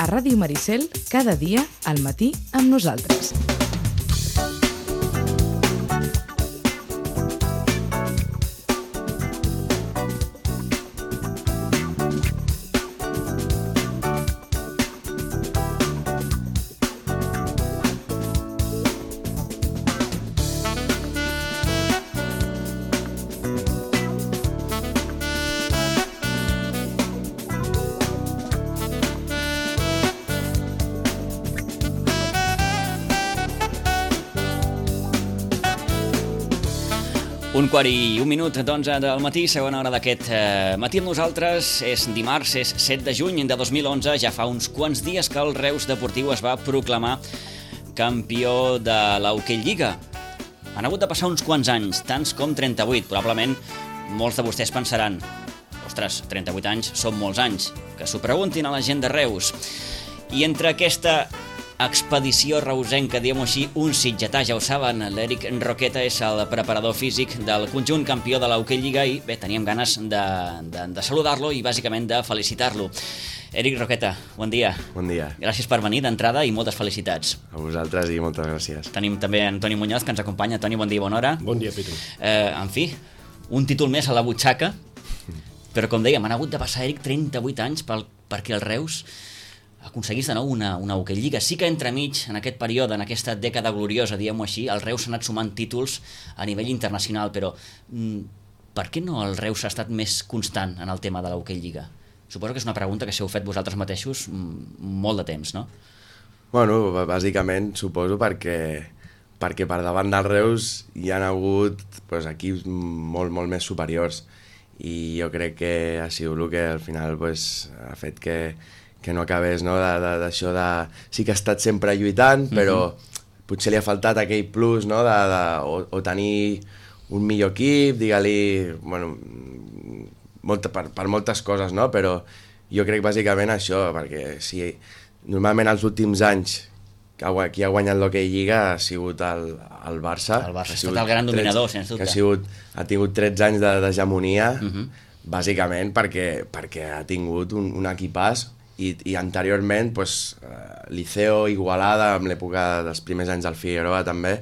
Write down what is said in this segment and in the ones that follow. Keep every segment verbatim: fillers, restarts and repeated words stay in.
a Ràdio Maricel cada dia al matí amb nosaltres. Un quart i un minut d'onze del matí, segona hora d'aquest eh, matí amb nosaltres. És dimarts, és set de juny de dos mil onze, ja fa uns quants dies que el Reus Deportiu es va proclamar campió de l'Hockey Lliga. Han hagut de passar uns quants anys, tants com trenta-vuit. Probablement molts de vostès pensaran: ostres, trenta-vuit anys són molts anys. Que s'ho preguntin a la gent de Reus. I entre aquesta expedició reusenca, diguem-ho així, un sitgetà, ja ho saben, l'Eric Roqueta és el preparador físic del conjunt campió de l'Hockey Lliga i bé, teníem ganes de, de, de saludar-lo i bàsicament de felicitar-lo. Eric Roqueta, bon dia. Bon dia. Gràcies per venir d'entrada i moltes felicitats. A vosaltres i moltes gràcies. Tenim també Antoni Muñoz, que ens acompanya. Toni, bon dia, bona hora. Bon dia, Pitu. Eh, en fi, un títol més a la butxaca, però com dèiem, han hagut de passar, Eric, trenta-vuit anys pel, perquè el Reus aconseguís de nou una, una Hockey Lliga. Sí que entremig, en aquest període, en aquesta dècada gloriosa, diguem-ho així, el Reus s'ha anat sumant títols a nivell internacional, però mm, per què no el Reus ha estat més constant en el tema de l'Hockey Lliga? Suposo que és una pregunta que si heu fet vosaltres mateixos mm, molt de temps, no? Bueno, bàsicament suposo perquè, perquè per davant del Reus hi ha hagut pues, equips molt, molt més superiors i jo crec que ha sigut el que al final pues, ha fet que que no acabés, no, d'això de, de... Sí que ha estat sempre lluitant, però mm-hmm. potser li ha faltat aquell plus, no, de, de, o, o tenir un millor equip, digue-li... Bueno, molta, per, per moltes coses, no? Però jo crec bàsicament això, perquè si normalment els últims anys qui ha guanyat l'Hockey Lliga ha sigut el, el Barça. El Barça ha estat el gran dominador, sens dubte. Que ha, sigut, ha tingut tretze anys d'hegemonia, mm-hmm. bàsicament perquè, perquè ha tingut un, un equipàs. I, i anteriorment pues, uh, Liceo, Igualada, amb l'època dels primers anys del Figueroa també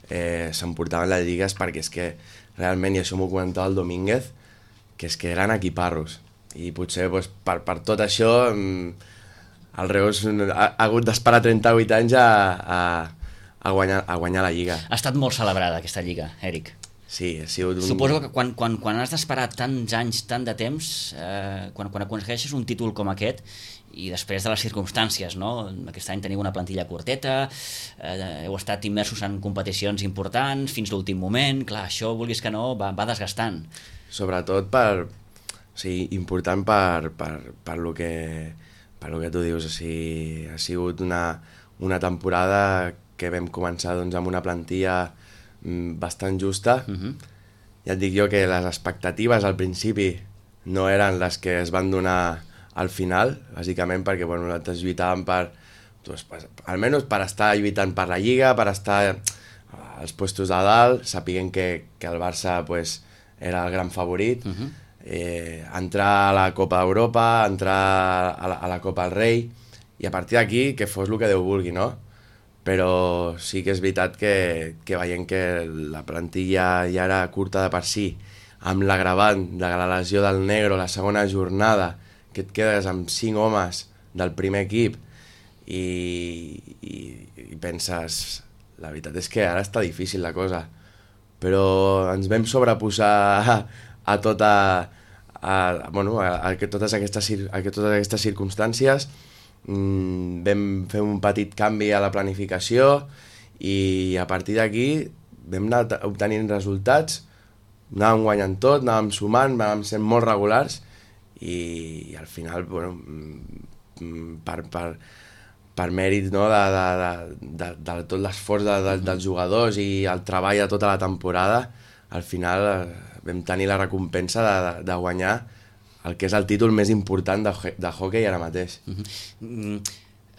eh, s'emportaven les lligues perquè és que realment, i això m'ho comentava el Domínguez, que és que eren equiparros i potser pues, per, per tot això el Reus ha, ha hagut d'esperar trenta-vuit anys a, a, a, guanyar, a guanyar la lliga. Ha estat molt celebrada aquesta lliga, Eric. Sí, ha sigut un... Suposo que quan, quan, quan has d'esperar tants anys, tant de temps, eh, quan, quan aconsegueixes un títol com aquest, i després de les circumstàncies, no? Aquest any teniu una plantilla curteta, eh, heu estat immersos en competicions importants fins l'últim moment, clar, això, vulguis que no, va, va desgastant. Sobretot per... O sigui, important per, per, per, lo que, per lo que tu dius, o sigui, ha sigut una, una temporada que vam començar doncs, amb una plantilla bastant justa. Uh-huh. Ja et dic jo que les expectatives al principi no eren les que es van donar al final, bàsicament perquè bueno, nosaltres lluitàvem per, doncs, per, almenys per estar lluitant per la Lliga, per estar als puestos de dalt, sapiguent que, que el Barça pues, era el gran favorit, uh-huh. eh, entrar a la Copa d'Europa, entrar a la, a la Copa del Rei, i a partir d'aquí que fos el que Déu vulgui, no? Però sí que és veritat que, que veient que la plantilla ja era curta de per si, amb l'agravant de la lesió del Negro la segona jornada, que et quedes amb cinc homes del primer equip i, i, i penses, la veritat és que ara està difícil la cosa, però ens vam sobreposar a, a tota a, bueno, a, a, a, totes aquestes, a totes aquestes circumstàncies. Mm, vam fer un petit canvi a la planificació i a partir d'aquí vam anar obtenint resultats, anàvem guanyant tot, anàvem sumant, anàvem sent molt regulars i, i al final bueno, per, per, per mèrit no, de, de, de, de, de tot l'esforç de, de, dels jugadors i el treball de tota la temporada, al final vam tenir la recompensa de, de, de guanyar el que és el títol més important de, de hockey ara mateix. Uh-huh.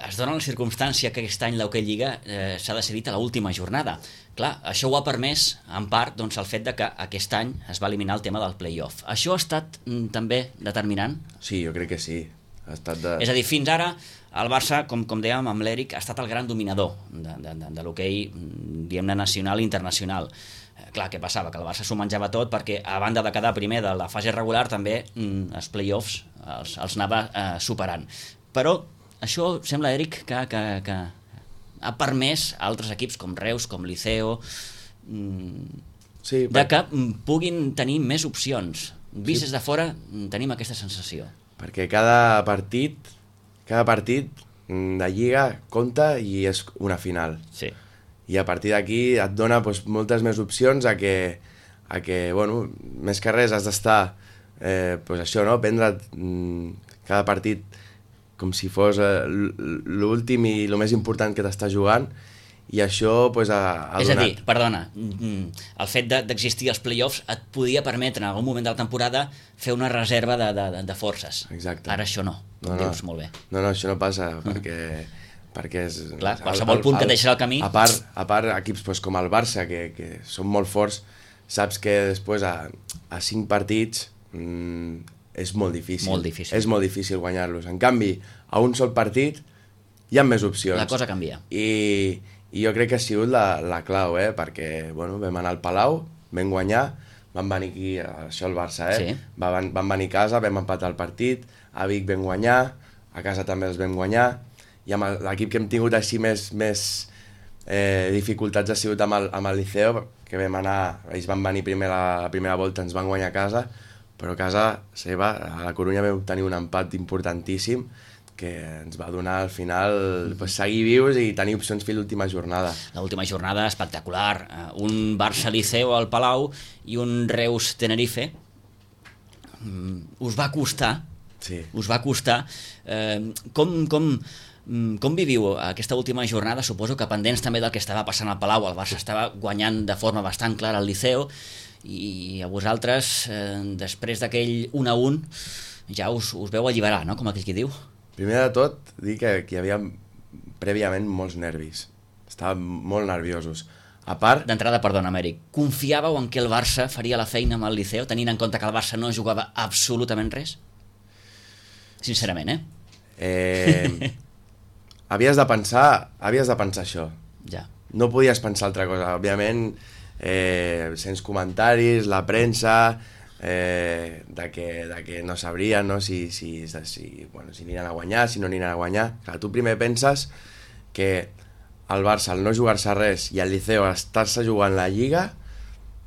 Es dona la circumstància que aquest any l'Hockey Lliga eh, s'ha decidit a l'última jornada. Clar, això ho ha permès, en part, doncs, el fet de que aquest any es va eliminar el tema del play-off. Això ha estat mm, també determinant? Sí, jo crec que sí. Ha estat de... És a dir, fins ara el Barça, com, com dèiem amb l'Eric, ha estat el gran dominador de, de, de, de l'hoquei, diguem-ne, nacional i internacional. Eh, clar, què passava? Que el Barça s'ho menjava tot perquè, a banda de quedar primer de la fase regular, també mm, els play-offs els, els anava eh, superant. Però això sembla, Eric, que, que, que ha permès a altres equips com Reus, com Liceo, mm, sí, de que puguin tenir més opcions. Vist des de fora, tenim aquesta sensació. Perquè cada partit, cada partit de Lliga compta i és una final. Sí. I a partir d'aquí et dona doncs, moltes més opcions a que, a que bueno, més que res has d'estar, eh, doncs això, no? Prendre cada partit com si fos eh, l'últim i el més important que t'està jugant, i això pues, ha, ha és donat... a dir, perdona, el fet d'existir els play-offs et podia permetre en algun moment de la temporada fer una reserva de, de, de forces. Exacte. Ara això no, no, no dius molt bé. No, no, això no passa, mm. perquè, perquè és... Clar, qualsevol punt que et deixes al camí... A part, a part equips pues, com el Barça, que, que són molt forts, saps que després a, a cinc partits mmm, és molt difícil. Molt difícil. És molt difícil guanyar-los. En canvi, a un sol partit hi ha més opcions. La cosa canvia. I... I jo crec que ha sigut la, la clau, eh? Perquè bueno, vam anar al Palau, vam guanyar, vam venir aquí, això el Barça, eh? Sí. Va, van, vam venir a casa, vam empatar el partit, a Vic vam guanyar, a casa també els vam guanyar, i amb l'equip que hem tingut així més, més eh, dificultats ha sigut amb el, amb el Liceo, que vam anar, ells van venir primer la, la primera volta, ens van guanyar a casa, però a casa seva, a la Corunya vam tenir un empat importantíssim, que ens va donar al final pues, seguir vius i tenir opcions fins l'última jornada. L'última jornada espectacular. Un Barça-Liceo al Palau i un Reus-Tenerife. Us va costar, sí. us va costar. Eh, com, com, com viviu aquesta última jornada? Suposo que pendents també del que estava passant al Palau. El Barça estava guanyant de forma bastant clara al Liceo i a vosaltres, eh, després d'aquell un a un, ja us, us veu alliberar, no? Com aquell qui diu. Primer de tot, dir que, que hi havia prèviament molts nervis. Estàvem molt nerviosos. A part... D'entrada, perdona, Eric, confiàveu en que el Barça faria la feina amb el Liceo, tenint en compte que el Barça no jugava absolutament res? Sincerament, eh? eh havies de pensar, havies de pensar això. Ja. No podies pensar altra cosa. Òbviament, eh, sents comentaris, la premsa... Eh, de, que, de que no sabrien, no? Si, si, si, bueno, si aniran a guanyar, si no aniran a guanyar. Clar, tu primer penses que el Barça, al no jugar-se res, i el Liceo estar-se jugant la Lliga,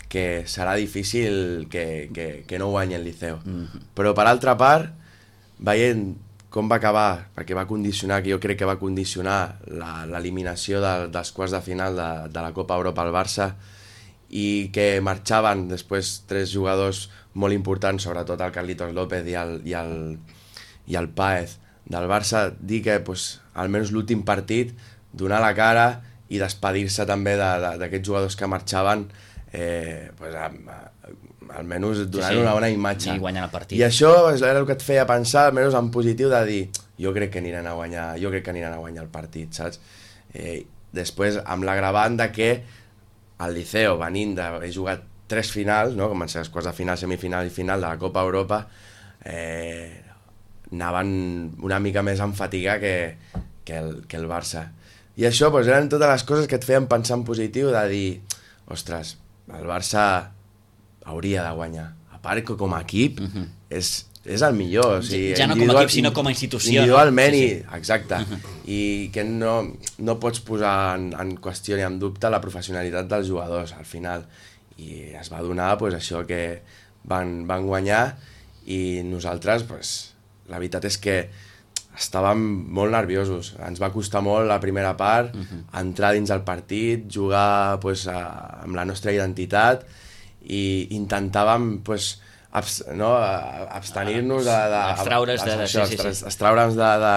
que serà difícil que, que, que no guanyi el Liceo. Mm-hmm. Però per altra part, veient com va acabar, perquè va condicionar, que jo crec que va condicionar l'eliminació de, dels quarts de final de, de la Copa Europa al Barça, i que marxaven després tres jugadors molt importants, sobretot el Carlitos López i el, i el, i el Páez del Barça, dir que pues, almenys l'últim partit donar la cara i despedir-se també d'aquests de, jugadors que marxaven, eh, pues, amb, almenys donant sí, sí. una bona imatge. I guanyant el partit. I això era el que et feia pensar, almenys en positiu, de dir jo crec que aniran a guanyar, jo crec que aniran a guanyar el partit, saps? Eh, després, amb l'agravant de que el Liceo, venint d'haver jugat tres finals, no? Com van ser les quarts de final, semifinal i final de la Copa Europa, eh, anaven una mica més en fatiga que, que, el, que el Barça. I això doncs, eren totes les coses que et feien pensar en positiu, de dir, ostres, el Barça hauria de guanyar. A part que com a equip uh-huh. és, és el millor. O sigui, ja no com a equip, sinó com a institució. Individualment, no? Sí, sí. I, exacte. Uh-huh. I que no, no pots posar en, en qüestió ni en dubte la professionalitat dels jugadors, al final. I es va donar pues, això que van, van guanyar i nosaltres, pues, la veritat és que estàvem molt nerviosos. Ens va costar molt la primera part, uh-huh. entrar dins el partit, jugar pues, a, amb la nostra identitat i intentàvem pues, abs, no, abstenir-nos de, de, abstraure's de, això, sí, sí, sí. abstraure'ns de, de,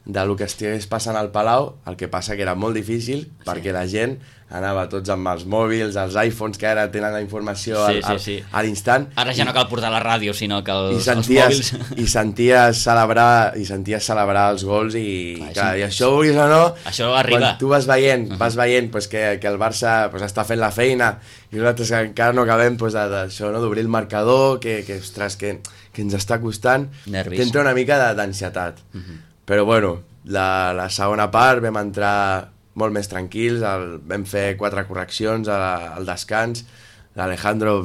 de lo que estigués passant al Palau, el que passa que era molt difícil sí. perquè la gent anava tots amb els mòbils, els iPhones, que ara tenen la informació sí, al, sí, sí. a l'instant. Ara ja no cal portar la ràdio, sinó que els, I senties, els mòbils... I senties celebrar, i senties celebrar els gols i, clar, clar, i això, vulguis o no, això arriba. Quan tu vas veient, uh -huh. vas veient pues, que, que el Barça pues, està fent la feina i nosaltres encara no acabem pues, d'això, no? D'obrir el marcador, que, que, ostres, que, que ens està costant, t'entra una mica d'ansietat. Uh -huh. Però bueno, la, la segona part vam entrar molt més tranquils, el, vam fer quatre correccions al, al descans, l'Alejandro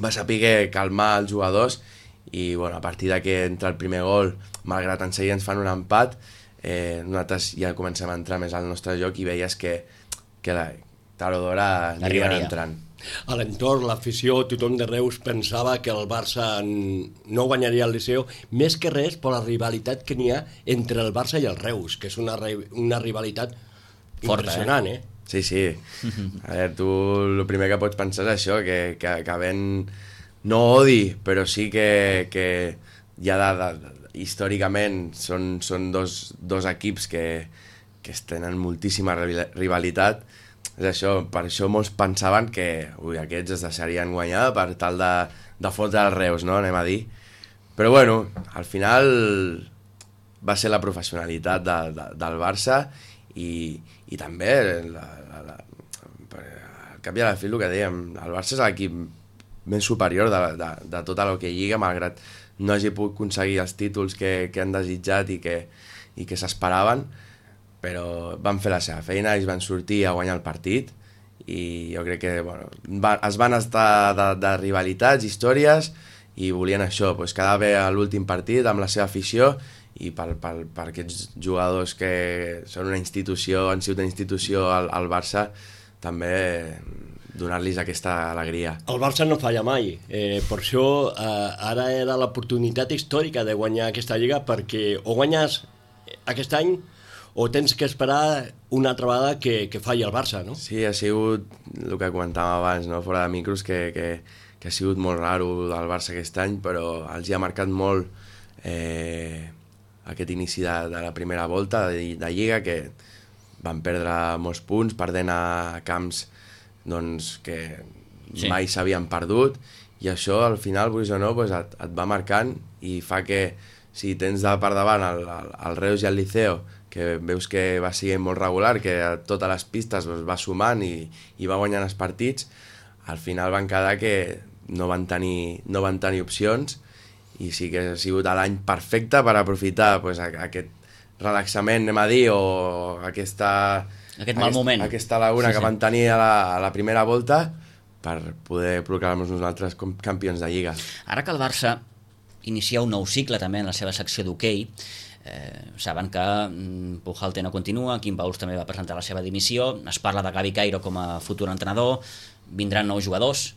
va saber calmar els jugadors i bueno, a partir de que entra el primer gol, malgrat en seguida ens fan un empat, eh, nosaltres ja comencem a entrar més al nostre joc i veies que, que la tard o d'hora anirien entrant. A l'entorn, l'afició, tothom de Reus pensava que el Barça no guanyaria el Liceu, més que res per la rivalitat que n'hi ha entre el Barça i el Reus, que és una, una rivalitat forta, impressionant, eh? eh? Sí, sí. A veure, tu el primer que pots pensar és això, que, que, que ven no odi, però sí que, que ja de, de, de, històricament són, són dos, dos equips que, que tenen moltíssima rivalitat. És això, per això molts pensaven que ui, aquests es deixarien guanyar per tal de, de fotre els Reus, no? Anem a dir. Però bueno, al final va ser la professionalitat de, de, del Barça i, i també la, la, la, al cap i a la fi el que dèiem, el Barça és l'equip més superior de, de, de tota la que lliga, malgrat no hagi pogut aconseguir els títols que, que han desitjat i que, i que s'esperaven, però van fer la seva feina, ells van sortir a guanyar el partit i jo crec que bueno, va, es van estar de, de rivalitats, històries i volien això, pues, quedar bé a l'últim partit amb la seva afició i per, per, per aquests jugadors que són una institució, han sigut una institució al, al Barça, també donar-los aquesta alegria. El Barça no falla mai, eh, per això eh, ara era l'oportunitat històrica de guanyar aquesta lliga, perquè o guanyes aquest any o tens que esperar una altra vegada que, que falli el Barça, no? Sí, ha sigut el que comentàvem abans, no? Fora de micros, que, que, que ha sigut molt raro del Barça aquest any, però els hi ha marcat molt eh, aquest inici de, de la primera volta de, de Lliga, que van perdre molts punts, perdent a camps doncs, que sí. mai s'havien perdut, i això al final, vulguis o no, pues et, et va marcant i fa que si tens de per davant el, el, el Reus i el Liceo, que veus que va sent molt regular, que a totes les pistes doncs, va sumant i, i va guanyant els partits, al final van quedar que no van tenir, no van tenir opcions i sí que ha sigut l'any perfecte per aprofitar pues, aquest relaxament, anem a dir, o aquesta, aquest mal aquest, moment. aquesta laguna sí, sí. que van tenir a la, a la primera volta per poder proclamar-nos nosaltres com campions de Lliga. Ara que el Barça inicia un nou cicle també en la seva secció d'hoquei, Eh, saben que mm, Pujalte no continua, Quim Bauls també va presentar la seva dimissió, es parla de Gavi Cairo com a futur entrenador, vindran nous jugadors,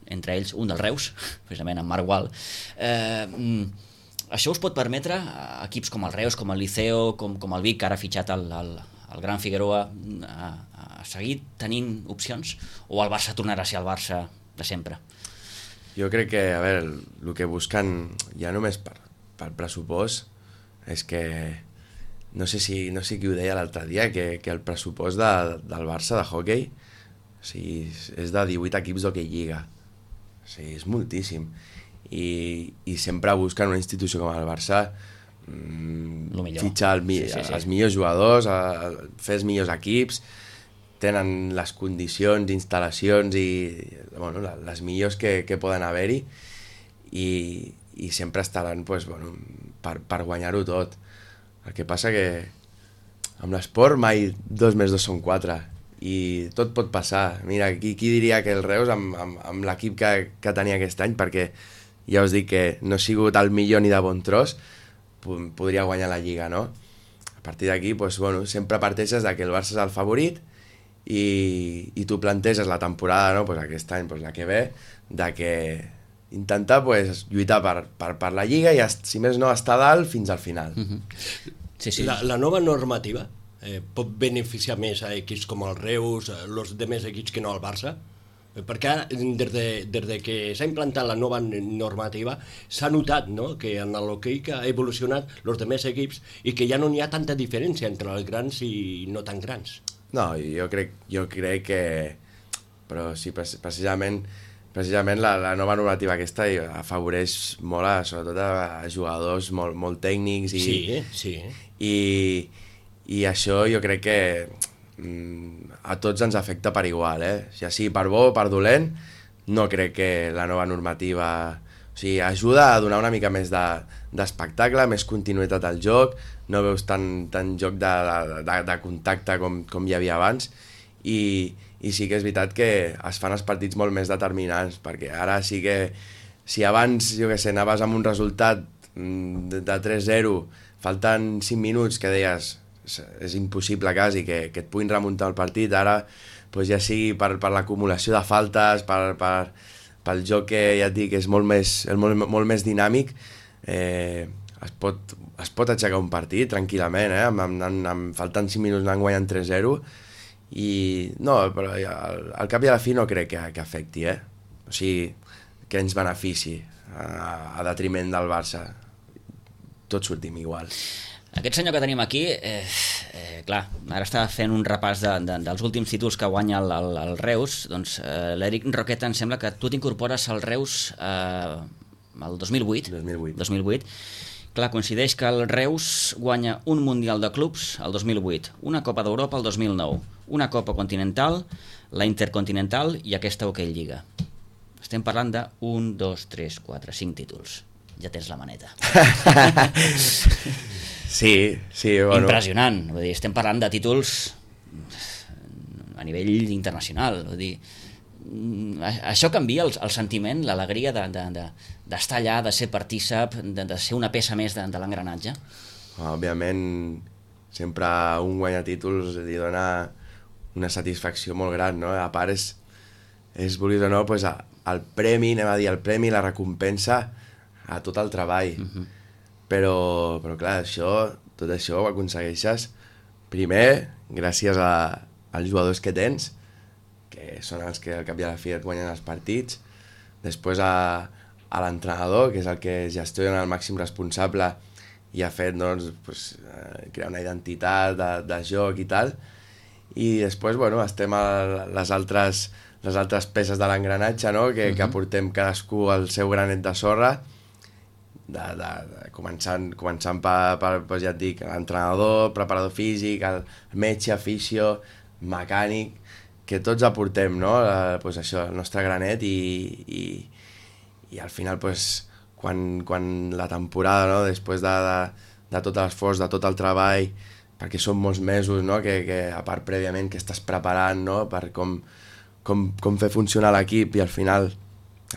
entre ells un del Reus, precisament en Marc Gual. Eh, mm, això us pot permetre a equips com el Reus, com el Liceo, com, com el Vic, que ara ha fitxat el, el, el Gran Figueroa, a, a seguir tenint opcions, o el Barça tornarà a ser el Barça de sempre? Jo crec que, a veure, el que busquen ja només per, per pressupost és que no sé si, no sé qui ho deia l'altre dia, que, que el pressupost de, del Barça de hoquei o sigui, és de divuit equips d'hoquei lliga, o sigui, és moltíssim i, i sempre busquen una institució com el Barça mmm, fitxar el, sí, sí, sí. els millors jugadors, a, a fer els millors equips, tenen les condicions, instal·lacions i bueno, les millors que, que poden haver-hi i i sempre estaran pues, bueno, per, per guanyar-ho tot. El que passa que amb l'esport mai dos més dos són quatre i tot pot passar. Mira, qui, qui diria que el Reus amb, amb, amb l'equip que, que tenia aquest any, perquè ja us dic que no ha sigut el millor ni de bon tros, podria guanyar la Lliga, no? A partir d'aquí, pues, bueno, sempre parteixes de que el Barça és el favorit i, i tu planteges la temporada, no? Pues aquest any, pues, la que ve, de que intentar pues, lluitar per, per, per la Lliga i, si més no, estar dalt fins al final. Uh-huh. sí, sí. La, la nova normativa eh, pot beneficiar més a equips com el Reus, els demés equips que no el Barça? Perquè ara, des de, des de que s'ha implantat la nova normativa, s'ha notat, no?, que en l'hoquei que ha evolucionat els demés equips i que ja no n'hi ha tanta diferència entre els grans i no tan grans. No, jo crec, jo crec que... Però sí, precisament, precisament la, la nova normativa aquesta afavoreix molt, a, sobretot a, a jugadors molt, molt tècnics i, sí, sí. i, i això jo crec que a tots ens afecta per igual, eh? Ja sigui per bo o per dolent, no crec que la nova normativa... O sigui, ajuda a donar una mica més d'espectacle, de, més continuïtat al joc, no veus tant, tant joc de, de, de contacte com, com hi havia abans, i, i sí que és veritat que es fan els partits molt més determinants, perquè ara sí que... Si abans, jo què sé, anaves amb un resultat de, de tres zero, falten cinc minuts que deies... és impossible quasi que, que et puguin remuntar el partit, ara pues, ja sigui per, per l'acumulació de faltes, per, per, pel joc que ja et dic és molt més, molt, molt més dinàmic, eh, es, pot, es pot aixecar un partit tranquil·lament, eh? amb, amb, amb, amb, faltant cinc minuts anant guanyant tres zero, i no, però al, al cap i a la fi no crec que, que afecti, eh? O sigui, que ens benefici a, a detriment del Barça, tots sortim igual. Aquest senyor que tenim aquí, eh, eh, clar, ara està fent un repàs de, de, dels últims títols que guanya el, el, el Reus, doncs eh, l'Eric Roqueta em sembla que tu t'incorpores al Reus eh, el dos mil vuit. dos mil vuit. dos mil vuit. Clar, coincideix que el Reus guanya un Mundial de Clubs el dos mil vuit, una Copa d'Europa el dos mil nou, una Copa Continental, la Intercontinental i aquesta Hockey Lliga. Estem parlant de un, dos, tres, quatre, cinc títols. Ja tens la maneta. Sí, sí, bueno. Impressionant, vull dir, estem parlant de títols a nivell internacional, vull dir, això canvia el, el sentiment, l'alegria d'estar de, de, de allà, de ser partícip, de, de ser una peça més de, de l'engranatge. Òbviament, sempre un guanyar títols li dona una satisfacció molt gran, no? A part és, és vulguis o no, pues, el premi, anem a dir, el premi, la recompensa a tot el treball. Uh-huh. Però, però clar, això, tot això ho aconsegueixes primer gràcies a, als jugadors que tens, que són els que al cap i a la fi et guanyen els partits, després a, a l'entrenador, que és el que gestiona el màxim responsable i ha fet doncs, pues, crear una identitat de, de joc i tal, i després bueno, estem a les altres, les altres peces de l'engranatge, no? que, uh-huh. que aportem cadascú el seu granet de sorra, De, de, de, començant, començant per, per, per, ja et dic, l'entrenador, preparador físic, el metge, fisio, mecànic, que tots aportem, no? Eh, pues això, el nostre granet i, i, i al final, pues, quan, quan la temporada, no? Després de, de, de tot l'esforç, de tot el treball, perquè són molts mesos, no? que, que a part prèviament que estàs preparant, no? Per com, com, com fer funcionar l'equip i al final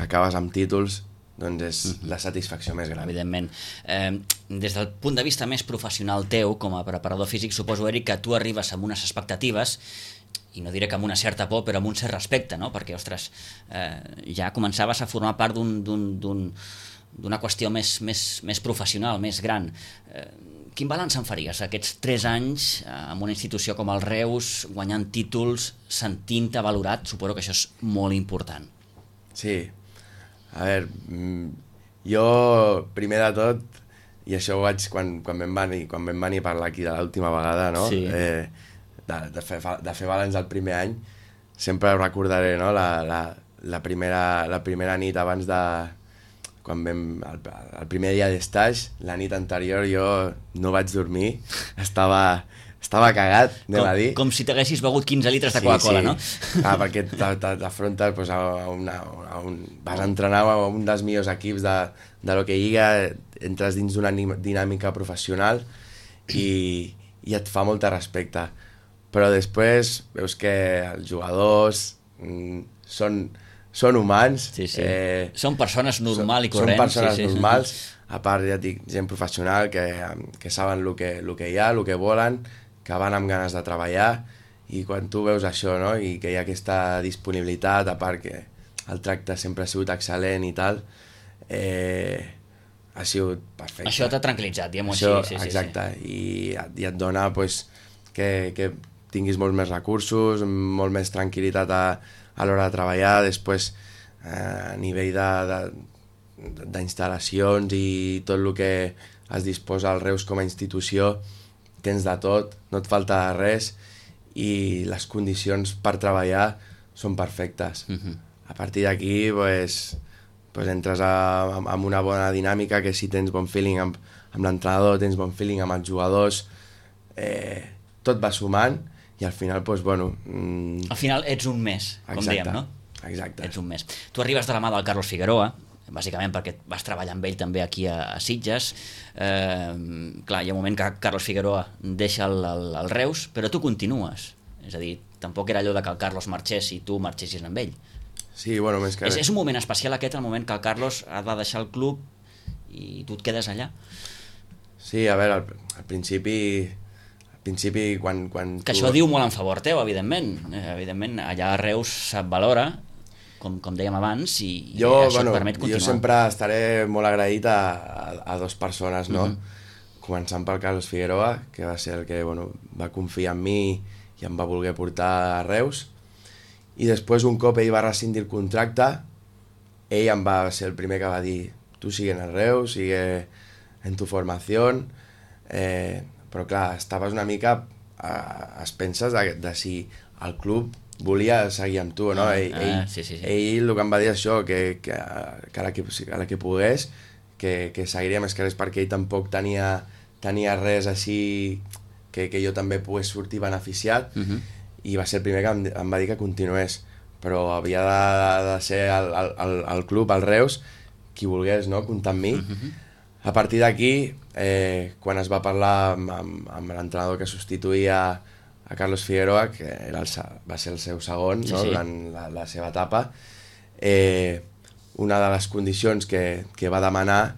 acabes amb títols, doncs és la satisfacció més gran. Evidentment. Eh, des del punt de vista més professional teu, com a preparador físic, suposo, Eric, que tu arribes amb unes expectatives, i no diré que amb una certa por, però amb un cert respecte, no? Perquè, ostres, eh, ja començaves a formar part d'un, d'un, d'un, d'una qüestió més, més, més professional, més gran. Eh, quin balanç en faries aquests tres anys eh, en una institució com el Reus, guanyant títols, sentint-te valorat? Suposo que això és molt important. Sí. A veure, jo, primer de tot, i això ho vaig quan, quan, vam venir, quan vam venir a parlar aquí de l'última vegada, no? Sí. Eh, de, de, fer, de fer balanç el primer any, sempre ho recordaré, no? La, la, la, primera, la primera nit abans de... Quan vam... El, el primer dia d'estaix, la nit anterior jo no vaig dormir, estava... Estava cagat, anem com, a dir. Com si t'haguessis begut quinze litres de sí, Coca-Cola, sí. No? Ah, perquè t'afrontes pues, a, una, a un... Vas a entrenar a un dels millors equips de, de l'Hockey Lliga, entres dins d'una dinàmica professional i, i et fa molta respecte. Però després veus que els jugadors mm, són, són humans. Sí, sí. Eh, són persones normal són, i corrents. Són persones sí, sí. normals, a part, ja dic, gent professional que, que saben el que, el que hi ha, el que volen, que van amb ganes de treballar, i quan tu veus això, no? I que hi ha aquesta disponibilitat, a part que el tracte sempre ha sigut excel·lent i tal, eh, ha sigut perfecte. Això t'ha tranquil·litzat, diguem-ho així. Sí, sí, exacte, sí. I, i et dona pues, que, que, tinguis molts més recursos, molt més tranquil·litat a, a l'hora de treballar, després eh, a nivell d'instal·lacions i tot el que es disposa al Reus com a institució, tens de tot, no et falta res i les condicions per treballar són perfectes. Uh-huh. A partir d'aquí pues, pues entres a, a, amb una bona dinàmica, que si tens bon feeling amb, amb l'entrenador, tens bon feeling amb els jugadors, eh, tot va sumant i al final, pues, bueno... Mm... Al final ets un mes, com Exacte. dèiem, no? Exacte. Ets un mes. Tu arribes de la mà del Carlos Figueroa, bàsicament perquè vas treballar amb ell també aquí a, a Sitges. Eh, clar, hi ha un moment que Carlos Figueroa deixa el, el, el Reus, però tu continues. És a dir, tampoc era allò de que el Carlos marxés i tu marxessis amb ell. Sí, bueno, més que... És, és un moment especial aquest, el moment que el Carlos ha de deixar el club i tu et quedes allà? Sí, a veure, al, al principi... Al principi, quan... quan que tu... això diu molt en favor teu, evidentment. Eh, evidentment, allà a Reus se't valora, com, com dèiem abans, i, jo, i això bueno, et permet continuar. Jo sempre estaré molt agraït a, a, a dos persones, no? Mm-hmm. Començant pel Carlos Figueroa, que va ser el que bueno, va confiar en mi i em va voler portar a Reus. I després, un cop ell va rescindir el contracte, ell em va ser el primer que va dir tu sigue en el Reus, sigue en tu formació, eh, però clar, estaves una mica a, a expenses de, de si el club volia seguir amb tu, no? Ah, ell, ah, ell, sí, sí, sí. ell el que em va dir això, que, que, que, a, la que a la que pogués, que, que seguiria més que res, perquè ell tampoc tenia, tenia res així que, que jo també pogués sortir beneficiat, Uh-huh. i va ser el primer que em, em va dir que continués, però havia de, de ser el, el, el club, el Reus, qui volgués, no?, comptar amb mi. Uh-huh. A partir d'aquí, eh, quan es va parlar amb, amb, amb l'entrenador que substituïa a Carlos Figueroa, que era el, va ser el seu segon, Sí, no?, sí. durant la, la seva etapa, eh, una de les condicions que, que va demanar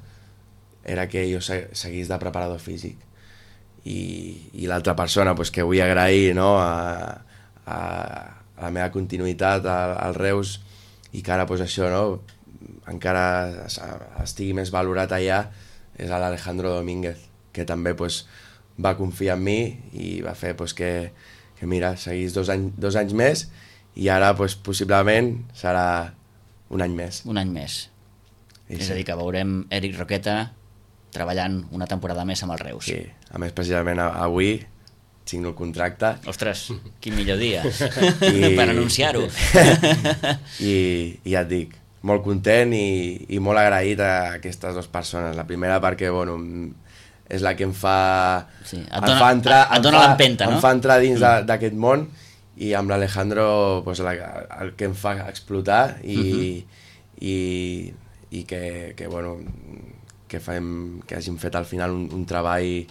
era que jo se, seguís de preparador físic. I, i l'altra persona pues, que vull agrair, no?, a, a, a la meva continuïtat al, al Reus, i que ara pues, això, no?, encara estigui més valorat allà, és l'Alejandro Domínguez, que també pues, va confiar en mi i va fer pues, que, que mira, seguís dos, any, dos anys més i ara pues, possiblement serà un any més. Un any més. I És sí. a dir, que veurem Eric Roqueta treballant una temporada més amb el Reus. Sí, a més precisament avui signo el contracte. Ostres, quin millor dia I... per anunciar-ho. I, I ja et dic, molt content i, i molt agraït a aquestes dues persones. La primera perquè, bueno, és la que em fa... Sí, et em dona- fa entrar, et em dona fa- l'empenta, no? Em fa entrar dins mm. d'aquest món, i amb l'Alejandro pues, la, el que em fa explotar i, Mhm. i, i que, que, bueno, que, fem, que hagin fet al final un, un treball,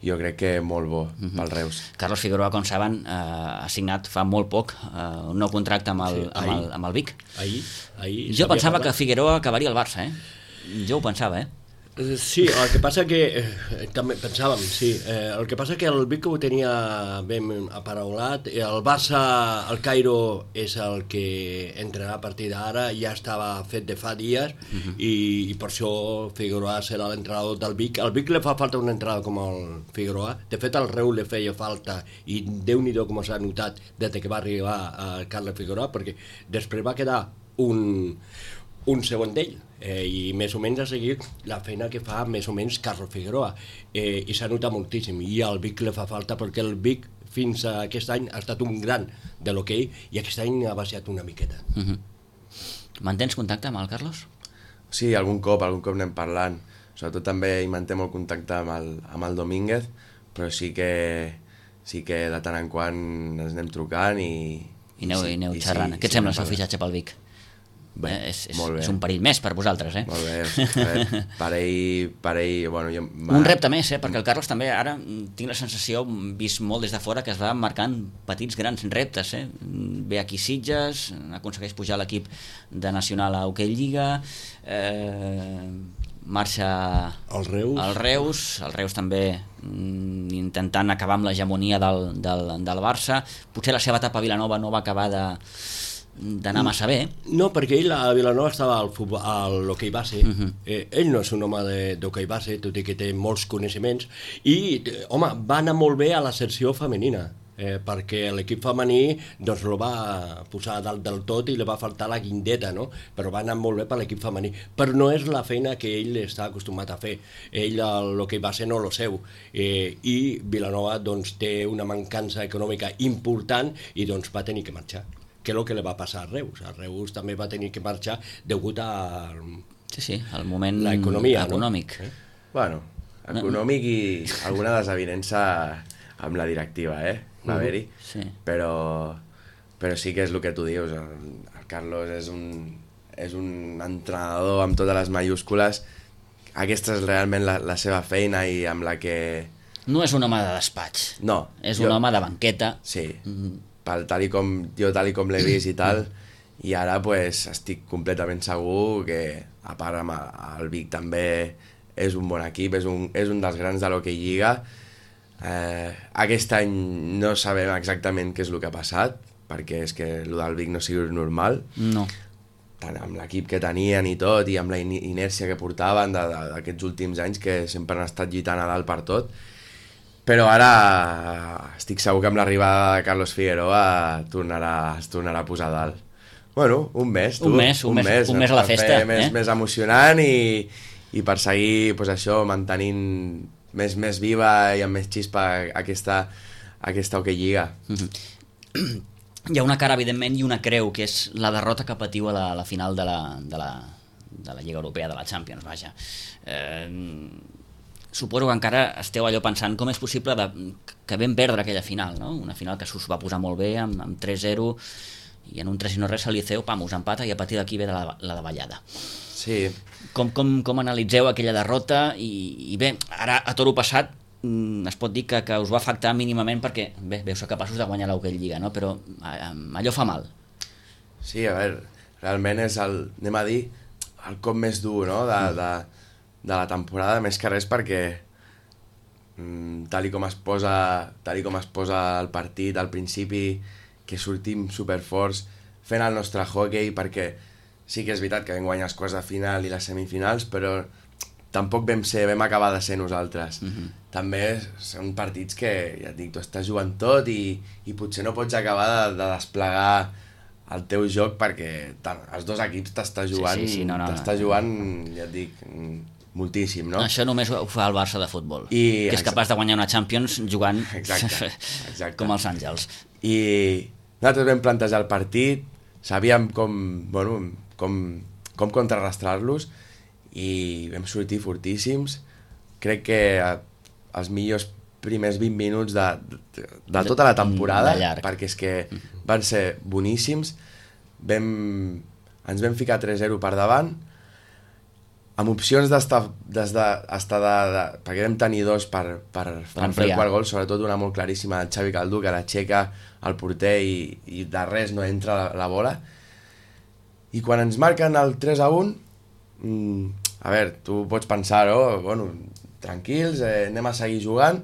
jo crec que molt bo Mhm. pel Reus. Carlos Figueroa, com saben, eh, ha signat fa molt poc eh, un nou contracte amb el, Sí, amb el, amb el Vic. Ahir, ahir Jo s'havia pensava parlat. que Figueroa acabaria al Barça, eh? Jo ho pensava, eh? Eh, Sí, el que passa que eh, també pensàvem, sí, eh, el que passa que el Vic ho tenia ben aparaulat, el Barça, el Cairo és el que entrenarà a partir d'ara, ja estava fet de fa dies uh-huh. i, i per això Figueroa serà l'entrenador del Vic. Al Vic li fa falta un entrenador com el Figueroa, de fet al Reus li feia falta i Déu-n'hi-do com s'ha notat des que va arribar a Carles Figueroa, perquè després va quedar un un segon d'ell, eh, i més o menys a seguir la feina que fa més o menys Carlos Figueroa, eh, i s'ha notat moltíssim, i al Vic li fa falta perquè el Vic fins a aquest any ha estat un gran de l'hoquei i aquest any ha baixat una miqueta. Uh -huh. Mantens contacte amb el Carlos? Sí, algun cop, algun cop anem parlant. Sobretot també hi manté molt contacte amb el, amb el Domínguez, però sí que, sí que de tant en quant ens anem trucant i... I aneu, sí, i aneu i xerrant. sí, Què et sí, sembla el anem seu parlant. fitxatge pel Vic? Bé, eh, és, és, molt bé. és un perill més per vosaltres, eh? Molt bé, a veure, per ell, per ell, bueno, jo... Un repte més, eh? Perquè el Carlos també ara tinc la sensació, vist molt des de fora, que es va marcant petits grans reptes, eh? Ve aquí Sitges, aconsegueix pujar l'equip de Nacional a Hoquei Lliga, eh, marxa El Reus. al Reus, el Reus també mm, intentant acabar amb l'hegemonia del, del, del Barça. Potser la seva etapa a Vilanova no va acabar de d'anar massa bé. No, perquè ell a Vilanova estava al, futbol, al hoquei base. Uh -huh. eh, ell no és un home de- d'hoquei base, tot i que té molts coneixements, i, eh, home, va anar molt bé a la secció femenina. eh, perquè l'equip femení doncs el va posar a dalt del tot i li va faltar la guindeta, no? Però va anar molt bé per l'equip femení. Però no és la feina que ell està acostumat a fer. Ell el que va ser no lo seu. Eh, I Vilanova doncs, té una mancança econòmica important i doncs va tenir que marxar. Que és el que li va passar a Reus. A Reus també va tenir que marxar degut a... Sí, sí, al moment l'economia, econòmic. No? Eh? Bueno, econòmic i alguna desavinença amb la directiva, eh? Va haver-hi. Sí. Però, però sí que és el que tu dius. El, el Carlos és un, és un entrenador amb totes les mayúscules. Aquesta és realment la, la seva feina i amb la que... No és un home de despatx. No. És jo... un home de banqueta. Sí. Mm. Pel, tal i com, jo tal i com l'he vist i tal, i ara pues, estic completament segur que, a part amb el Vic també és un bon equip, és un, és un dels grans de l'Hockey Lliga. Eh, aquest any no sabem exactament què és el que ha passat, perquè és que el del Vic no sigui normal. No. Tant amb l'equip que tenien i tot, i amb la inèrcia que portaven d'aquests últims anys, que sempre han estat lluitant a dalt per tot. Però ara estic segur que amb l'arribada de Carlos Figueroa tornarà, es tornarà a posar a dalt. Bueno, un mes, tu. Un mes, un, un mes, mes, un mes a la festa. Més, eh? més emocionant i, i per seguir pues, això, mantenint més, més viva i amb més xispa aquesta, aquesta Hockey Lliga. Mm-hmm. Hi ha una cara, evidentment, i una creu, que és la derrota que patiu a la, a la final de la, de, la, de la Lliga Europea, de la Champions, vaja. Eh, suposo que encara esteu allò pensant com és possible de, que vam perdre aquella final, no? Una final que s'us va posar molt bé, amb, amb tres zero, i en un tres i no res el Liceu, pam, us empata i a partir d'aquí ve de la, la davallada. Sí. Com, com, com analitzeu aquella derrota i, i bé, ara a toro passat es pot dir que, que us va afectar mínimament perquè bé, veu ser capaços de guanyar l'Hockey Lliga, no? Però allò fa mal. Sí, a veure, realment és el, anem a dir, el cop més dur, no? de, de, de la temporada, més que res perquè mm, tal i com es posa tal i com es posa el partit al principi, que sortim superforts fent el nostre hockey, perquè sí que és veritat que vam guanyar els quarts de final i les semifinals, però tampoc vam ser, vam acabar de ser nosaltres. Mm-hmm. També són partits que, ja et dic, tu estàs jugant tot i, i potser no pots acabar de, de desplegar el teu joc perquè tant, els dos equips t'està jugant, sí, sí, sí, no, no, t'està no. jugant, ja et dic, moltíssim, no? Això només ho fa el Barça de futbol, I, que és capaç de guanyar una Champions jugant exacte, exacte. com els Àngels. I nosaltres vam plantejar el partit, sabíem com, bueno, com, com contrarrestar-los i vam sortir fortíssims. Crec que els millors primers vint minuts de, de, de tota la temporada, perquè és que van ser boníssims. Vam, ens vam ficar tres zero per davant, amb opcions d'estar de, de, de, de, perquè vam tenir dos per, per, per fer el quart gol, sobretot una molt claríssima del Xavi Caldú, que la aixeca el porter i, i de res no entra la, la bola. I quan ens marquen el tres a un, mmm, a veure, tu pots pensar, oh, bueno, tranquils, eh, anem a seguir jugant,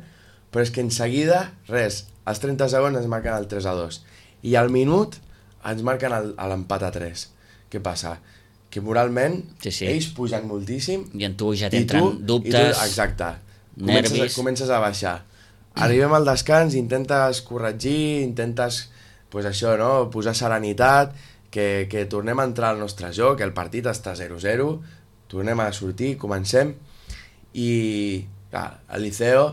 però és que en seguida, res, als trenta segons ens marquen el tres a dos. I al minut ens marquen l'empat a tres. Què passa? Que moralment sí, sí. ells pugen moltíssim i en tu ja t'entren dubtes, i tu, exacte, nervis. Comences, comences a baixar. Arribem al descans, intentes corregir, intentes pues això, no? Posar serenitat, que, que tornem a entrar al nostre joc, el partit està zero zero, tornem a sortir, comencem, i clar, el Liceo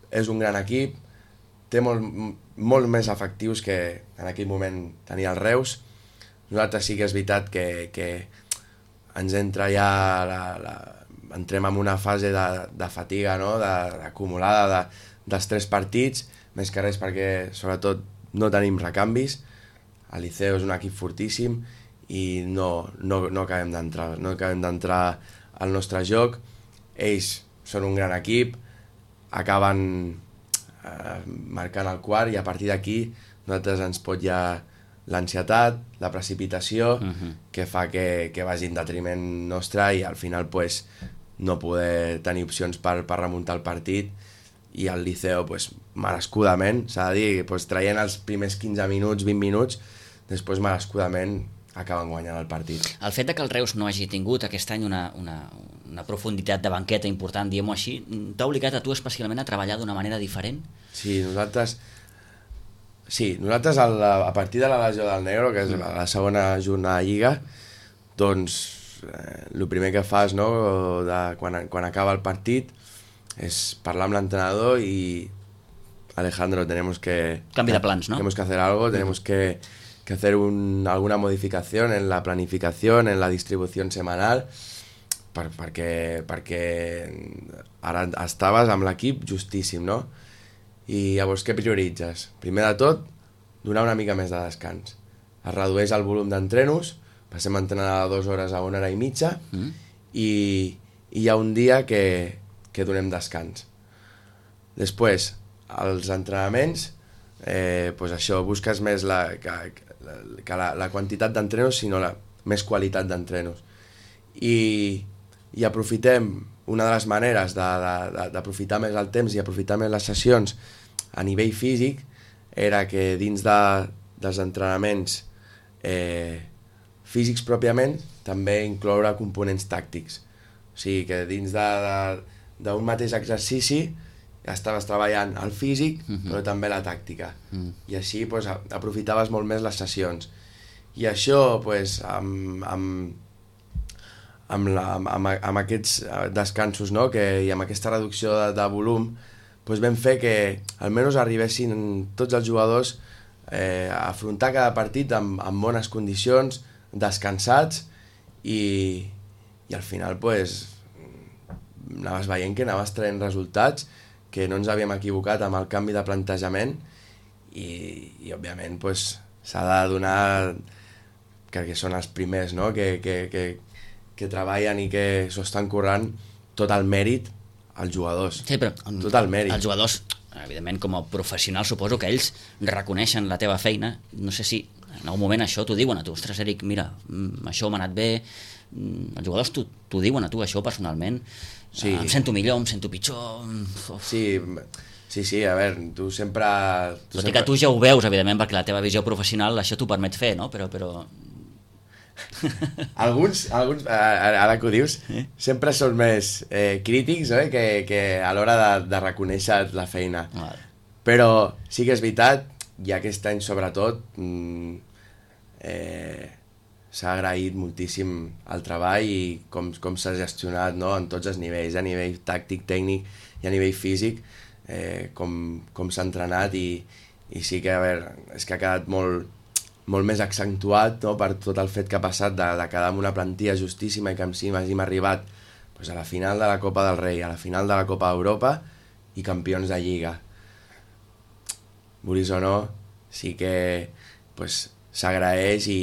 és un gran equip, té molt, molt més efectius que en aquell moment tenia el Reus. Nosaltres sí que és veritat que, que ens entra ja, la, la, entrem en una fase de, de fatiga, no? de, acumulada de, dels tres partits, més que res perquè sobretot no tenim recanvis. El Liceo és un equip fortíssim i no, no, no acabem d'entrar no acabem d'entrar al nostre joc. Ells són un gran equip, acaben eh, marcant el quart i a partir d'aquí nosaltres ens pot ja l'ansietat, la precipitació, uh-huh. que fa que, que vagi en detriment nostre i al final pues, no poder tenir opcions per, per remuntar el partit, i el Liceo pues, merescudament, s'ha de dir, pues, traient els primers quinze minuts, vint minuts, després merescudament acaben guanyant el partit. El fet de que el Reus no hagi tingut aquest any una, una, una profunditat de banqueta important, diguem-ho així, t'ha obligat a tu especialment a treballar d'una manera diferent? Sí, nosaltres Sí, nosaltres a, la, a partir de la Legió del Negro, que és mm. la segona jornada de Lliga, doncs eh, el primer que fas, no, de, quan, quan acaba el partit és parlar amb l'entrenador i Alejandro, tenemos que... Canvi de plans, ¿no? Tenemos que hacer algo, tenemos mm. que, que hacer un, alguna modificación en la planificación, en la distribución semanal, per, perquè, perquè ara estaves amb l'equip justíssim, no? I llavors què prioritzes? Primer de tot, donar una mica més de descans. Es redueix el volum d'entrenos, passem a entrenar de dues hores a una hora i mitja, mm. i, i hi ha un dia que, que donem descans. Després, els entrenaments, eh, pues això, busques més la, que, que la, la quantitat d'entrenos, sinó la més qualitat d'entrenos. I, i aprofitem, una de les maneres d'aprofitar més el temps i aprofitar més les sessions a nivell físic era que dins de, dels entrenaments eh, físics pròpiament també incloure components tàctics. O sigui que dins d'un mateix exercici estaves treballant el físic mm-hmm. però també la tàctica. Mm. I així pues, aprofitaves molt més les sessions. I això pues, amb... amb Amb, la, amb, amb aquests descansos, no? Que, i amb aquesta reducció de, de volum doncs vam fer que almenys arribessin tots els jugadors eh, a afrontar cada partit amb, amb bones condicions, descansats i, i al final pues, anaves veient que anaves traient resultats, que no ens havíem equivocat amb el canvi de plantejament i, i òbviament pues, s'ha de donar, crec que són els primers, no? que, que, que que treballen i que s'ho estan currant tot el mèrit als jugadors. Sí, però tot el mèrit. Els jugadors, evidentment, com a professionals, suposo que ells reconeixen la teva feina. No sé si en algun moment això t'ho diuen a tu. Ostres, Eric, mira, això m'ha anat bé. Els jugadors t'ho diuen a tu, això, personalment. Sí. Em sento millor, em sento pitjor. Sí, sí, sí, a veure, tu sempre... Tu Tot sempre... i que tu ja ho veus, evidentment, perquè la teva visió professional això t'ho permet fer, no? Però... però... alguns, alguns ara que ho dius, eh? sempre són més eh, crítics eh? que, que a l'hora de, de reconèixer la feina. Vale. Però sí que és veritat, i aquest any sobretot mm, eh, s'ha agraït moltíssim el treball i com, com s'ha gestionat, no? En tots els nivells, a nivell tàctic, tècnic i a nivell físic, eh, com, com s'ha entrenat i, i sí que, a veure, és que ha quedat molt molt més accentuat, no? Per tot el fet que ha passat de, de quedar amb una plantilla justíssima i que amb si hàgim arribat pues, a la final de la Copa del Rei, a la final de la Copa d'Europa i campions de Lliga. Vulguis o no, sí que pues, s'agraeix i,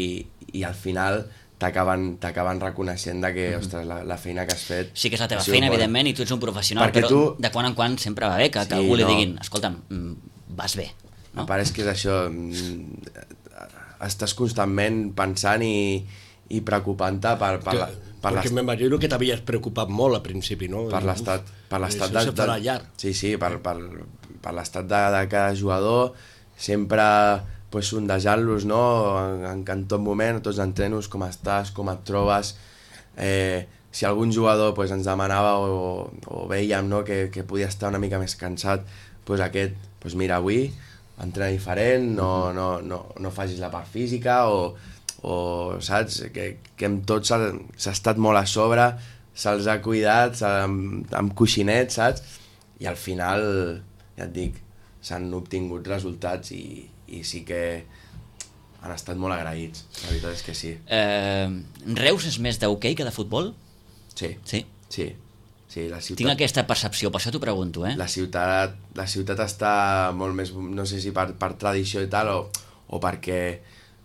i al final t'acaben t'acaben reconeixent de que, mm-hmm. ostres, la, la feina que has fet... Sí que és la teva feina, evidentment, i tu ets un professional, perquè però tu... de quan en quan sempre va bé que, sí, que algú li no. diguin, escolta'm, vas bé. No? Em pareix que és això... estàs constantment pensant i, i preocupant-te per, per, la, per perquè m'imagino que t'havies preocupat molt al principi, no? Per l'estat per l'estat de, de, de, sí, sí, per, per, per l'estat de, de cada jugador, sempre pues, sondejant-los, no? En, en tot moment, tots els entrenos, com estàs, com et trobes, eh, si algun jugador pues, ens demanava o, o veiem, no? que, que podia estar una mica més cansat, pues, aquest, pues, mira, avui entrena diferent, no, no, no, no facis la part física o, o saps, que, que amb tot s'ha estat molt a sobre, se'ls ha cuidat amb, amb coixinets, saps? I al final, ja et dic, s'han obtingut resultats i, i sí que han estat molt agraïts, la veritat és que sí. Eh, Reus és més d'hoquei que de futbol? Sí, sí. sí. Sí, la ciutat... Tinc aquesta percepció, per això t'ho pregunto, eh? La ciutat, la ciutat està molt més, no sé si per, per tradició i tal, o, o perquè,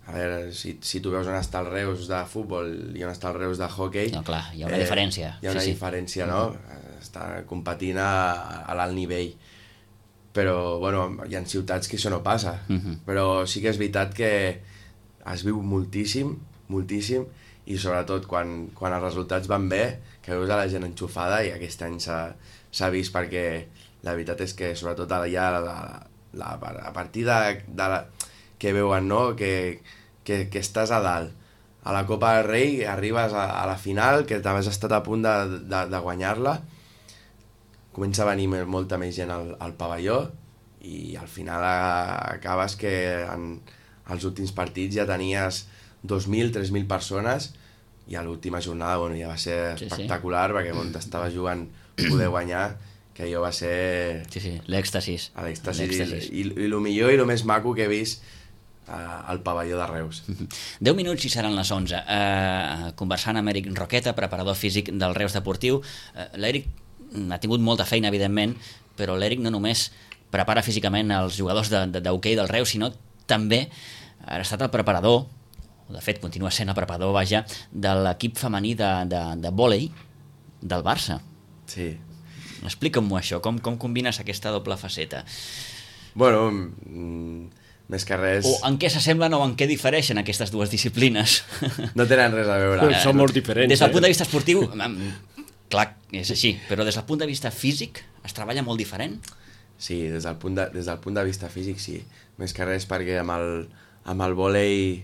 a veure, si, si tu veus on està el Reus de futbol i on està el Reus de hoquei... No, clar, hi ha una eh, diferència. Hi ha una sí, diferència, sí. no? Mm-hmm. Està competint a, a l'alt nivell. Però, bueno, hi ha ciutats que això no passa. Mm-hmm. Però sí que és veritat que es viu moltíssim, moltíssim, i sobretot quan, quan els resultats van bé, que veus a la gent enxufada, i aquest any s'ha vist perquè la veritat és que sobretot ja la, la, a partir de, de la, que veuen, no? que, que, que estàs a dalt, a la Copa del Rei, arribes a, a la final, que t'havies estat a punt de, de, de guanyar-la, comença a venir molta més gent al, al pavelló i al final acabes que en els últims partits ja tenies dos mil, tres mil persones, i a l'última jornada bueno, ja va ser sí, espectacular, sí. perquè on estava jugant poder guanyar, que allò va ser... Sí, sí, l'èxtasis. L'èxtasis, i, i, i el millor i el més maco que he vist uh, al pavelló de Reus. deu minuts i seran les onze. Uh, conversant amb Eric Roqueta, preparador físic del Reus Deportiu. Uh, L'Eric ha tingut molta feina, evidentment, però l'Eric no només prepara físicament els jugadors d'hoquei de, de, del Reus, sinó també ha estat el preparador, o de fet continua sent el preparador, vaja, de l'equip femení de, de, de vòlei del Barça. Sí. Explica'm-ho això, com, com combines aquesta doble faceta? Bueno, mm, més que res... O en què s'assemblen o en què difereixen aquestes dues disciplines? No tenen res a veure. Eh, Són molt diferents. Des del eh? punt de vista esportiu, clar, és així, però des del punt de vista físic es treballa molt diferent? Sí, des del punt de, des del punt de vista físic sí. Més que res perquè amb el, amb el vòlei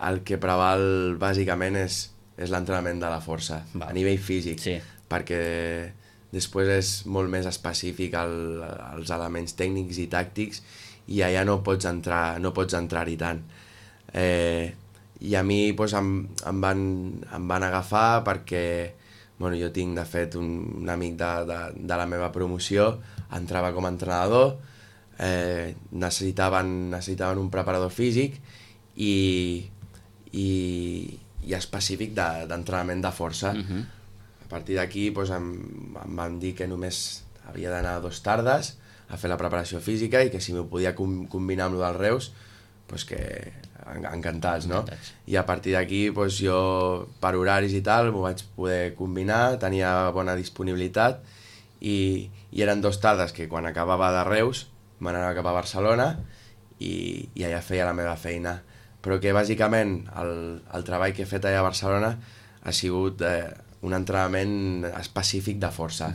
el que preval bàsicament és, és l'entrenament de la força, Va. a nivell físic, Sí. perquè després és molt més específic el, els elements tècnics i tàctics, i allà no pots entrar, no pots entrar-hi tant. Eh, I a mi doncs, em, em, van, em van agafar perquè bueno, jo tinc de fet un, un amic de, de, de la meva promoció, entrava com a entrenador, eh, necessitaven, necessitaven un preparador físic i, i, i específic d'entrenament de, de força. Uh-huh. A partir d'aquí doncs, em, em van dir que només havia d'anar dos tardes a fer la preparació física i que si m'ho podia com, combinar amb el del Reus, doncs que encantats, no? Encantats. I a partir d'aquí doncs, jo per horaris i tal m'ho vaig poder combinar, tenia bona disponibilitat i, i eren dos tardes que quan acabava de Reus me n'anava cap a Barcelona i, i allà feia la meva feina, però que bàsicament el, el treball que he fet allà a Barcelona ha sigut eh, un entrenament específic de força,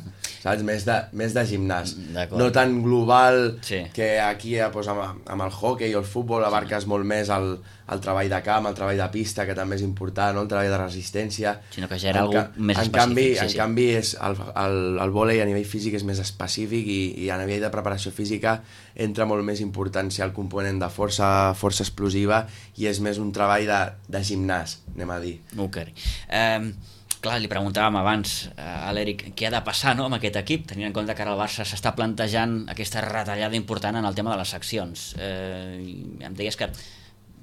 saps? Més de, més de gimnàs, no tan global, sí. que aquí doncs, amb, amb el hockey o el futbol abarques molt més el, el treball de camp, el treball de pista, que també és important, no? El treball de resistència, sinó que ja era algú més en específic. Canvi, sí, en sí. canvi és el, el, el vòlei a nivell físic és més específic i, i a nivell de preparació física entra molt més importància el component de força, força explosiva, i és més un treball de, de gimnàs, anem a dir. Ok. Um, clar, li preguntàvem abans a l'Eric què ha de passar, no, amb aquest equip, tenint en compte que ara el Barça s'està plantejant aquesta retallada important en el tema de les seccions. Eh, em deies que,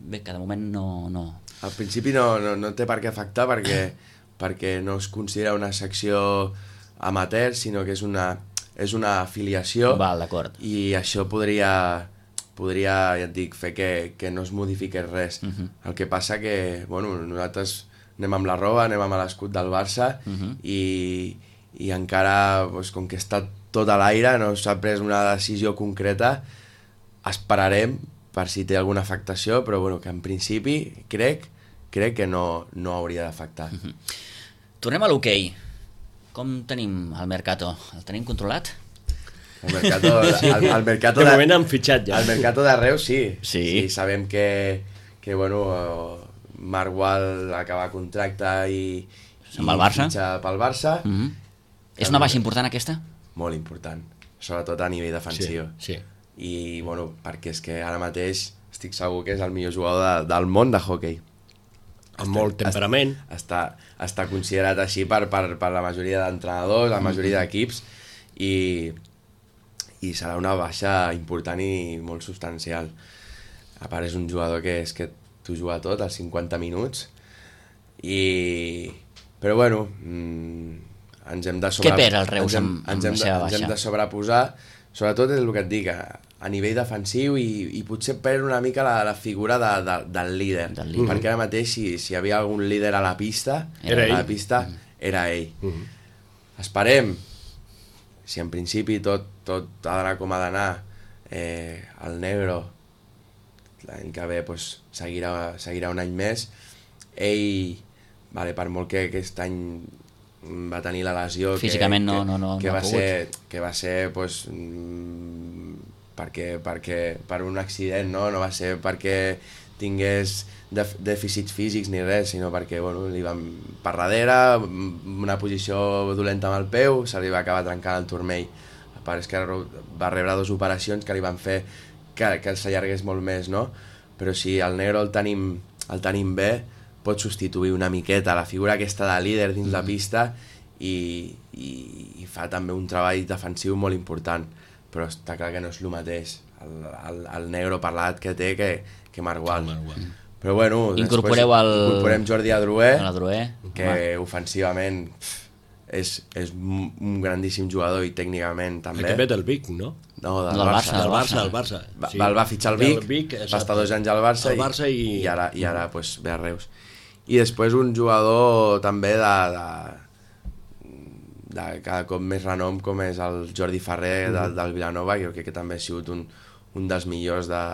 bé, que de moment no... no... Al principi no, no, no té per què afectar perquè, perquè no es considera una secció amateur, sinó que és una, és una afiliació. Val, d'acord. I això podria, podria, ja et dic, fer que, que no es modifiqués res. Uh-huh. El que passa que, bueno, nosaltres anem amb la roba, anem amb l'escut del Barça, uh-huh. i, i encara, doncs, com que està tot a l'aire, no s'ha pres una decisió concreta, esperarem per si té alguna afectació, però bueno, que en principi crec, crec que no, no hauria d'afectar. Uh-huh. Tornem a l'hoquei. Com tenim el Mercato? El tenim controlat? El Mercato, el, el mercato de de, moment han fitxat ja. El Mercato de Reus sí. Sí. Sí, sabem que, que bueno, Marc Gual acaba contracte i, i el Barça. fitxa pel Barça. Uh-huh. És una baixa important aquesta? Molt important, sobretot a nivell defensiu. Sí, sí. I bueno, perquè és que ara mateix estic segur que és el millor jugador de, del món de hoquei. Amb molt temperament. Està, està considerat així per, per, per la majoria d'entrenadors, la majoria d'equips, i, i serà una baixa important i molt substancial. A part és un jugador que és que t'ho juga tot als cinquanta minuts, i... però bueno, mmm, ens hem de sobre... Què perd el Reus ens hem, amb, amb ens hem la de, seva ens baixa? hem de sobreposar, sobretot és el que et dic, a, a nivell defensiu, i, i potser perd una mica la, la figura de, de, del líder, Del líder. perquè ara mateix si, si hi havia algun líder a la pista, Era a la ell. pista era ell. Uh -huh. Esperem, si en principi tot, tot ha d'anar com ha d'anar, eh, el Negro l'any que ve pues, seguirà, seguirà un any més. Ell, vale, per molt que aquest any va tenir la lesió físicament que, no, no, no, que, no va ha ser, que va ser pues, mm, perquè, perquè, per un accident, no? No va ser perquè tingués def dèficits físics ni res, sinó perquè bueno, li van per darrere, una posició dolenta amb el peu, se li va acabar trencant el turmell. a part és que va rebre dues operacions que li van fer que, que s'allargués molt més, no? Però si el Negro el tenim, el tenim bé, pot substituir una miqueta la figura aquesta de líder dins mm. la pista i, i, i fa també un treball defensiu molt important, però està clar que no és el mateix el, el, el Negro per l'edat que té que, que Margual. Mm. Però bueno, incorporeu el... incorporem Jordi Adroer, Adroer. que home. ofensivament pff, és, és un grandíssim jugador i tècnicament també. El que ve del Vic, no? No, del, del Barça. Del Barça, del Barça. Va, sí. El va fitxar el Vic, Vic va estar dos anys al Barça, el Barça i... i, i ara, i ara pues, ve a Reus. I després un jugador també de, de, de cada cop més renom com és el Jordi Ferrer mm. del, del Vilanova, que jo crec que també ha sigut un, un dels millors de,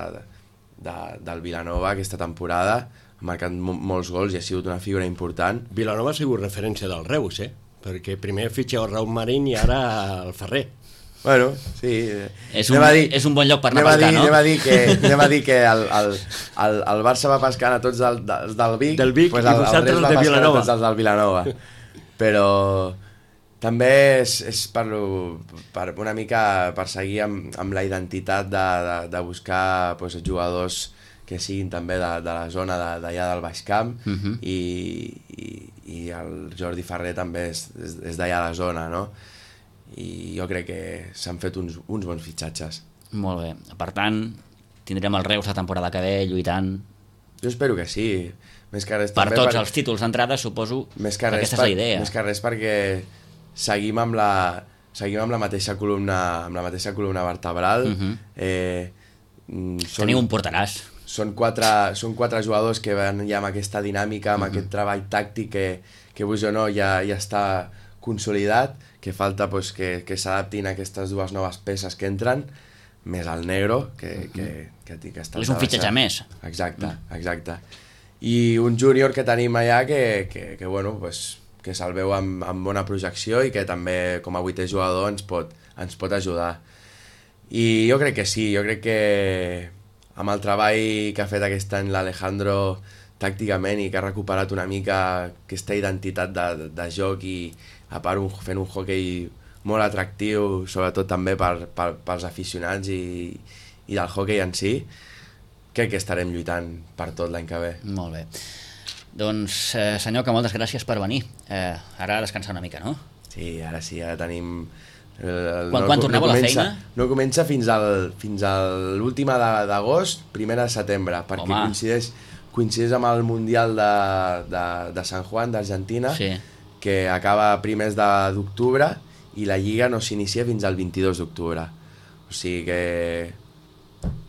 de, del Vilanova aquesta temporada, ha marcat molts gols i ha sigut una figura important. Vilanova ha sigut referència del Reus, eh? Perquè primer fitxa el Raúl Marín i ara el Ferrer. Bueno, sí. És un, dir, és un bon lloc per anar a pescar, no? Anem a dir que, anem a dir que el, el, el, el Barça va pescant a tots del, del, del Vic, del Vic pues el, el, el vosaltres va de Vilanova. Tots els del Vilanova. Però també és, és per, per una mica per seguir amb, amb la identitat de, de, de buscar pues, jugadors que siguin també de, de la zona d'allà del Baix Camp uh -huh. i, i, i el Jordi Ferrer també és, és, és d'allà a la zona, no? I jo crec que s'han fet uns, uns bons fitxatges. Molt bé. Per tant, tindrem el Reus la temporada que ve lluitant... Jo espero que sí. Més que res, per també tots per... els títols d'entrada, suposo més que, que aquesta per... és la idea. Més que res perquè seguim amb la, seguim amb la mateixa columna, amb la mateixa columna vertebral. Uh -huh. eh, són... Teniu un porteràs. Són quatre, són quatre jugadors que van ja amb aquesta dinàmica, amb uh -huh. aquest treball tàctic que, que vos o no ja, ja està consolidat, que falta pues, que, que s'adaptin a aquestes dues noves peces que entren, més el Negro, que, uh -huh. que, que, que, que està... És un fitxatge més. Exacte, exacte. I un júnior que tenim allà que, que, que bueno, pues, que se'l veu amb, amb bona projecció i que també com a vuitè jugador ens pot, ens pot ajudar. I jo crec que sí, jo crec que amb el treball que ha fet aquest any l'Alejandro tàcticament i que ha recuperat una mica aquesta identitat de, de, de joc i a part un, fent un hoquei molt atractiu, sobretot també per, per, pels aficionats i, i del hoquei en si, crec que estarem lluitant per tot l'any que ve. Molt bé. Doncs, eh, senyor, que moltes gràcies per venir. Eh, ara a descansar una mica, no? Sí, ara sí, ara tenim... El, quan no, quan torneu no a la comença, feina? No comença fins al fins a l'última d'agost, primera de setembre, perquè Home. coincideix, coincideix amb el Mundial de, de, de San Juan, d'Argentina, sí. que acaba primers d'octubre i la Lliga no s'inicia fins al vint-i-dos d'octubre. O sigui que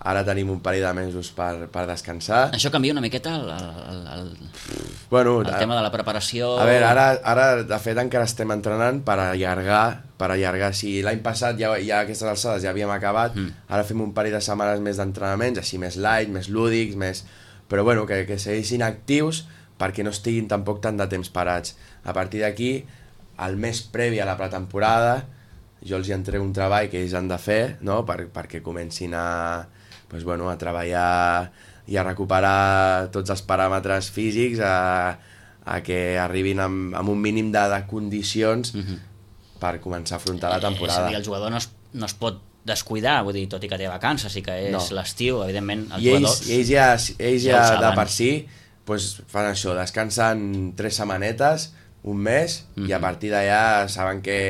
ara tenim un parell de mesos per, per descansar. Això canvia una miqueta el, el, el, bueno, el tema de la preparació... A veure, ara, ara de fet encara estem entrenant per allargar, per allargar. Si l'any passat ja, ja a aquestes alçades ja havíem acabat, mm. ara fem un parell de setmanes més d'entrenaments, així més light, més lúdics, més... però bueno, que, que segueixin actius perquè no estiguin tampoc tant de temps parats. A partir d'aquí, el mes previ a la pretemporada, jo els hi entrego un treball que ells han de fer, no? per, perquè comencin a, pues, bueno, a treballar i a recuperar tots els paràmetres físics, a, a que arribin amb, amb un mínim de, de condicions mm-hmm. per començar a afrontar la temporada. Eh, és a dir, el jugador no es, no es pot descuidar, vull dir, tot i que té vacances, sí que és no. l'estiu, evidentment, els I ells, jugadors... I ells ja, ells ja, ja de per si pues, fan això, descansen tres setmanetes, un mes, mm-hmm. i a partir d'allà saben que,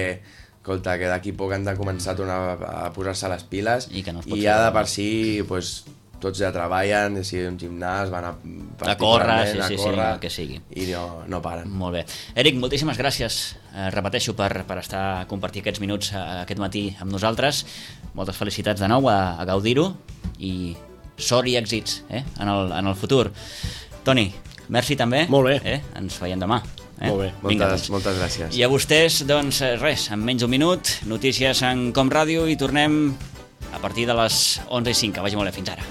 escolta, que d'aquí poc han de començar a tornar a posar-se les piles, i, que no i ja de per si pues, tots ja treballen, si un gimnàs, van a, a córrer, sí, a sí, córrer, sí, el que sigui. I no, no paren. Molt bé. Eric, moltíssimes gràcies, eh, repeteixo, per, per estar a compartir aquests minuts eh, aquest matí amb nosaltres. Moltes felicitats de nou a, a gaudir-ho i sort i èxits eh, en, el, en el futur. Toni, merci també. Molt bé. Eh? Ens veiem demà. Eh? Molt bé. Vinga, moltes, doncs. moltes gràcies. I a vostès, doncs res, en menys d'un minut, notícies en Com Ràdio i tornem a partir de les onze i cinc. Que vagi molt bé, fins ara.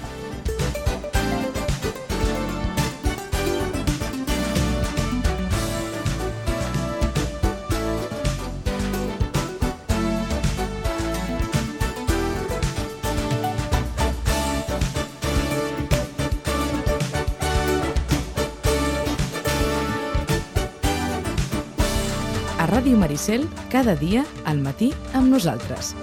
A Ràdio Maricel, cada dia al matí amb nosaltres.